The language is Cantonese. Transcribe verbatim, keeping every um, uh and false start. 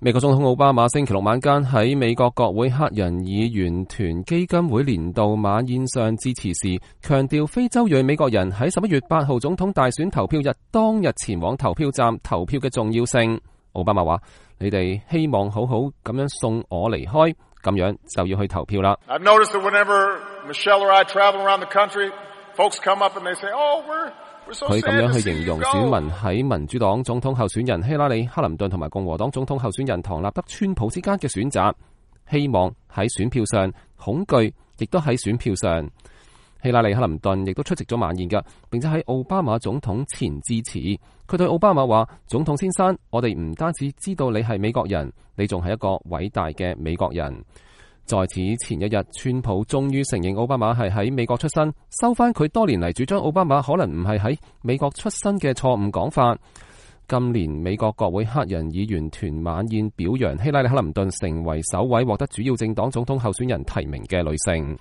美國總統奧巴馬星期六晚間喺美國國會黑人議員團基金會年度晚宴上致辭時，強調非洲裔美國人喺十一月八號總統大選投票日當日前往投票站投票嘅重要性。奧巴馬話：你哋希望好好咁樣送我離開，咁樣就要去投票啦。I've noticed that whenever Michelle or I travel around the country, folks come up and they say, "Oh, we're佢咁樣去形容選民喺民主黨總統候選人希拉里·克林頓同埋共和黨總統候選人唐納德·川普之間嘅選擇，希望喺選票上，恐懼亦都喺選票上。希拉里·克林頓亦都出席咗晚宴㗎，並且喺奧巴馬總統前致辭。佢對奧巴馬話：總統先生，我哋唔單止知道你係美國人，你仲係一個偉大嘅美國人。在此前一日，川普終於承認奧巴馬係喺美國出生，收返佢多年嚟主張奧巴馬可能唔係喺美國出生嘅錯誤講法。今年美國國會黑人議員團晚宴表揚希拉里·克林頓成為首位獲得主要政黨總統候選人提名嘅女性。